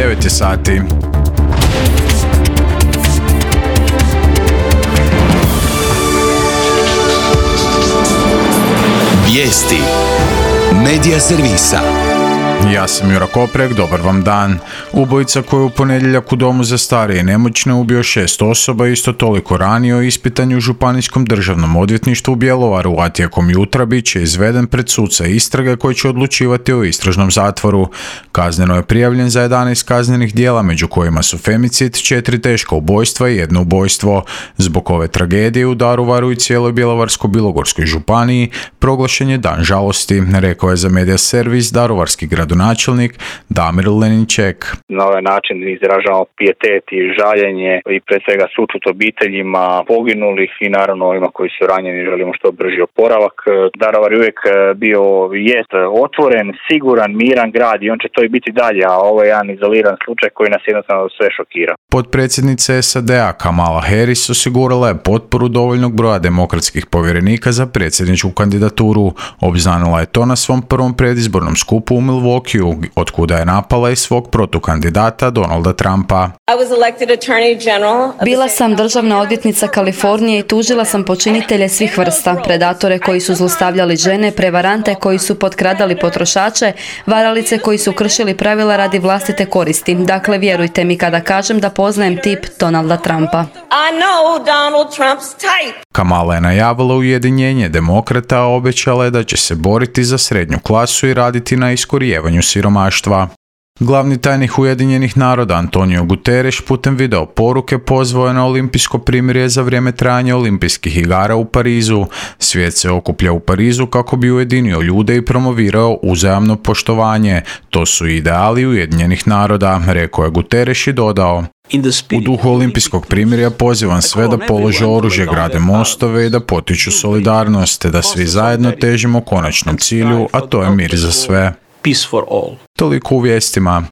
9 je sati. Vijesti Medija servisa. Ja sam Jura Koprek, dobar vam dan. Ubojica koji je u ponedjeljak u domu za starije i nemoćne ubio 6 osoba, isto toliko ranio, ispitan je u Županijskom državnom odvjetništvu u Bjelovaru, a tijekom jutra bit će izveden pred suca istrage koji će odlučivati o istražnom zatvoru. Kazneno je prijavljen za 11 kaznenih djela, među kojima su femicid, 4 teška ubojstva i 1 ubojstvo. Zbog ove tragedije u Daruvaru i cijeloj Bjelovarsko-bilogorskoj županiji proglašen je dan žalosti, rekao je za Medija servis daruvarski gradonačelnik Damir Leninček. Na ovaj način izražavamo pijetet i žaljenje i pre svega sućut obiteljima poginulih i naravno ovima koji su ranjeni želimo što brži oporavak. Daruvar je uvijek bio jest otvoren, siguran, miran grad i on će to i biti dalje, a ovo je jedan izoliran slučaj koji nas jednostavno sve šokira. Potpredsjednica SAD-a Kamala Harris osigurala je potporu dovoljnog broja demokratskih povjerenika za predsjedničku kandidaturu. Obznanila je to na svom prvom predizbornom skupu u Milwaukeeu, otkuda je napala i svog protukandidata Donalda Trumpa. Bila sam državna odvjetnica Kalifornije i tužila sam počinitelje svih vrsta, predatore koji su zlostavljali žene, prevarante koji su potkradali potrošače, varalice koji su kršili pravila radi vlastite koristi. Dakle, vjerujte mi kada kažem da poznajem tip Donalda Trumpa. Kamala je najavila ujedinjenje demokrata, a obećala je da će se boriti za srednju klasu i raditi na iskorijevanju siromaštva. Glavni tajnik Ujedinjenih naroda Antonio Guterres putem video poruke pozvao je na olimpijsko primirje za vrijeme trajanja olimpijskih igara u Parizu. Svijet se okuplja u Parizu kako bi ujedinio ljude i promovirao uzajamno poštovanje. To su ideali Ujedinjenih naroda, rekao je Guterres i dodao: u duhu olimpijskog primirja pozivam sve da polože oružje, grade mostove i da potiču solidarnost, te da svi zajedno težimo konačnom cilju, a to je mir za sve. Peace for all. Toliko u vijestima.